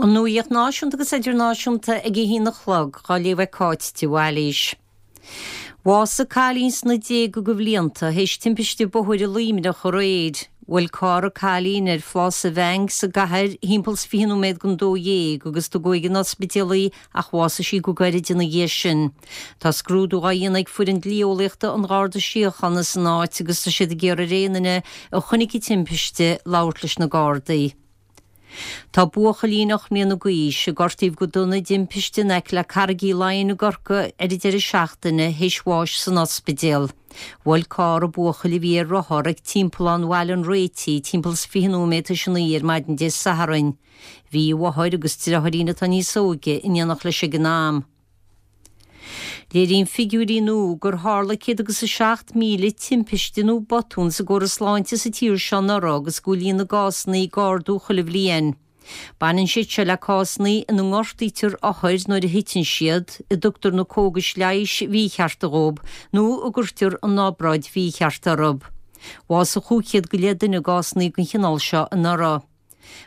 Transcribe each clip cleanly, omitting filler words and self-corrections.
An Nuacht Náisiúnta agus Idirnáisiúnta ag a haon a chlog, á léamh ag Cáit de Bhailís. Bhásaigh cailín sna déaga de bhlianta théis timpiste bóthair i Luimneach aréir. Bhuail carr an cailín ar Phlása Bheainc sa gcathair thimpeall 's 20 nóiméad don 12 agus tugadh ag an ospidéal í ach bhásaigh sí go gairid ina dhiaidh sin. Tá scrúdú á dhéanamh ag foireann dlí-eolaíochta an Gharda Síochána san áit agus tá siad ag iarraidh ar aon duine a chonaic an timpiste labhairt leis na Gardaí. Tá buachaillín 8 mbliana d'aois, a gortaíodh go dona i dtimpiste in aice le Carraig Uí Leighin i gCorcaigh ar an deireadh seachtaine, théis bháis san ospidéal. Bhuail carr an buachaill a bhí ar rothar ag Timpeallán Bhaile an Réitigh timpeall is 20 nóiméad théis a 9 ar maidin Dé Sathairn. Bhí a mháthair agus deartháirín atá níos óige in éineacht leis ag an am. Léiríonn figiúirí nua gur tharla 107,000 timpiste nó botún sa gcóras sláinte sa tír seo anuraidh agus go bhfuil líon na gcásanna ag ardú chuile bhliain. Baineann siad seo le cásanna ina ngortaítear othair nuair a thiteann siad, a dtugtar na cógais leighis mhíchearta dhóibh nó a gcuirtear an obráid mhícheart orthu. Bhásaigh 500 go leith duine i gcásanna den chineál seo anuraidh.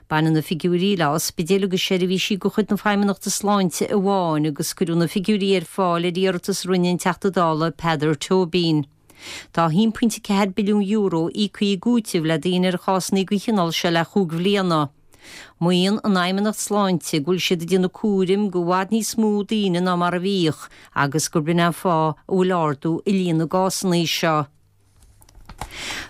Baineann na figiúirí le ospidéil agus seirbhísí de chuid na Feidhmeannachta Sláinte amháin agus cuireadh na figiúirí ar fáil ar iarratas a rinne an Teachta Dála Peadar Tóibín. Tá €1.4 billiún íoctha i gcúiteamh le daoine ar chásanna den chineál seo le chúig bhliana. Maíonn an Fheidhmeannacht Sláinte go bhfuil siad ag déanamh cúraim go i bhfad níos mó daoine ná mar a bhíodh agus gurb in é an fáth a bhfuil ardú i líon na gcásanna seo.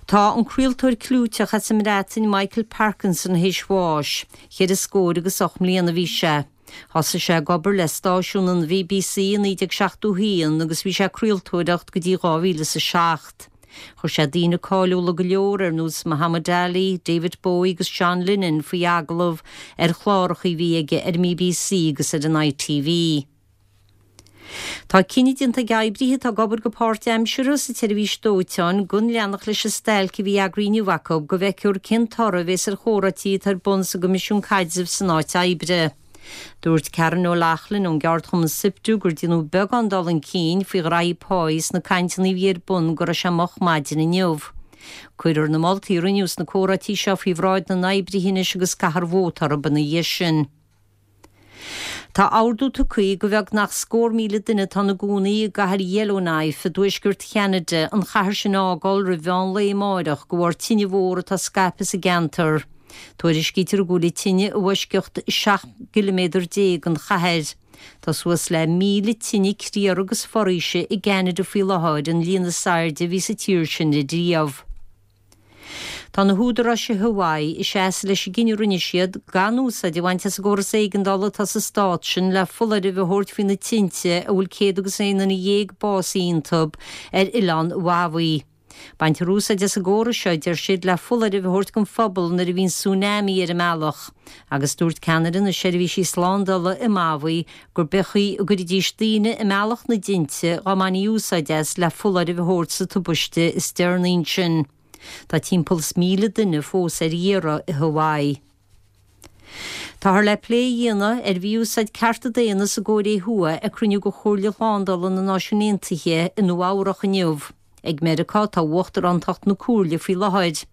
Tá an craoltóir clúiteach as an mBreatain Michael Parkinson théis bháis. Cheithre scór agus 8 mbliana a bhí sé. Thosaigh sé ag obair le stáisiún an BBC i 1971 agus bhí sé ag craoltóireacht go dtí 2007. Chuir sé daoine cáiliúla go leor ar nós Muhammad Ali, David Bowie agus John Lennon faoi agallamh ar chláracha a bhí aige ar an mBBC agus ar an ITV. Tá cinneadh déanta ag oibrithe atá ag obair go páirtaimseartha sa tseirbhís dóiteáin gan leanacht leis an stailc a bhí eagraithe inniu acu go bhfeicfear cén toradh a bhéas ar chomhráití atá ar bun sa gCoimisiún Caidrimh san áit oibre. Dúirt Karen O'Loughlin ón gceardchumann Siptu gur déanadh beagán dul chun cinn faoi ghraithí páí sna cainteanna a bhí ar bun go raibh sé moch maidin inniu. Cuirfear na moltaí a rinneadh sna comhráití seo faoi bhráid na n-oibrithe anois agus caithfear vóta orthu ina dhiaidh sin. Tá ordú tugtha go bheagnach scór 1,000 duine atá ina gcónaí i gcathair Yellowknife i dtuaisceart Cheanada an chathair sin a fhágáil roimh mheán lae amáireach de bharr tine mhór atá scaipthe sa gceantar. Tuairiscítear go bhfuil an tine i bhfoisceacht 17 gciliméadar den chathair. Tá suas le 1,000 tine criathair agus foraoise i gCeanada faoi láthair, an líon is airde a bhí sa tír sin riamh. Tá na húdaráis i Hawaii ag seasamh leis an gcinneadh a rinne siad gan úsáid a bhaint as an gcóras éigeandála atá sa stát sin le foláireamh a thabhairt faoi na tinte a bhfuil 111 duine básaithe iontu ar oileán Mhaui. Baintear úsáid as an gcóras seo, a deir siad, le foláireamh a thabhairt don phobal nuair a bhíonn tsunami ar an mbealach agus dúirt ceannaire na seirbhísí slándála i Maui gurb é an chaoi a gcuirfidís daoine i mbealach na dtinte dá mbainfí úsáid as le foláireamh a thabhairt sa tubaiste is deireanaí ansin. Tá timpeall is 1,000 duine fós ar iarraidh i Hawaii. Táthar le plé a dhéanamh ar mhí-úsáid cearta daonna sa gCóiré Thuaidh ag cruinniú de Chomhairle Shlándála na Náisiún Aontaithe i Nua Eabhrach inniu. Ag Meiriceá atá uachtarántacht na Comhairle faoi láthair.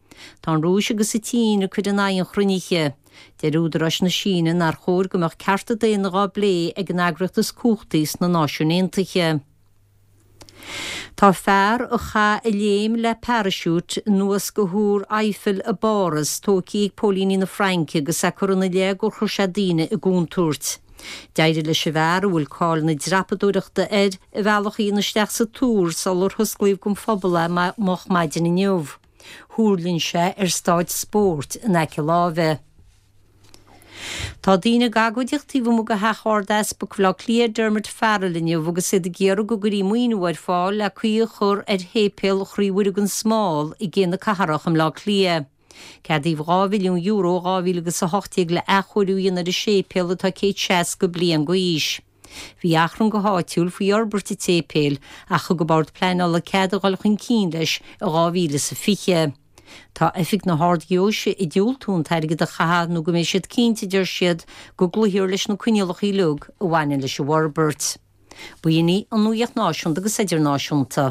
Tá an Rúis agus an tSín ag cur in aghaidh an chruinnithe. Deir údaráis na Síne nár chóir go mbeadh cearta daonna dhá bplé ag an eagraíocht is cumhachtaí sna Náisiúin Aontaithe. Tá fear a chaith a léim le paraisiút anuas go Thúr Eiffel i bPáras tógtha ag póilíní na Fraince agus é curtha ina leith gur chuir sé daoine i gcontúirt. D'éirigh leis an bhfear, a bhfuil cáil na dreapadóireachta air, a bhealach a dhéanamh isteach sa túr sular hosclaíodh don phobal é moch maidin inniu. Thuirling sé ar staid spóirt in aice láimhe. Tá daoine ag agóidíocht taobh amuigh de theach Ard-Easpag Bhaile Átha Cliath, Dermot Farrell inniu agus iad ag iarraidh go gcuirfí maoiniú ar fáil le caoi a chur ar Shéipéal Chroí Mhuire gan Smál i gCé na Cathrach i mBleá Cliath. Ceadaíodh €2 mhilliún i 2018 le athchóiriú a dhéanamh ar an séipéal atá 160 bliain d'aois. Bhí achrann go háitiúil faoi fhorbairt an tséipéil ach thug an Bord Pleanála cead a dhul chun cinn leis i 2020. Tá Oifig na hArd-Gheoise ag diúltú an t-airgead a chaitheamh nó go mbeidh siad cinnte, a deir siad, go gcloífear leis na coinníollacha uilig a bhaineann leis an bhforbairt. B'in í an nuacht náisiúnta agus idirnáisiúnta.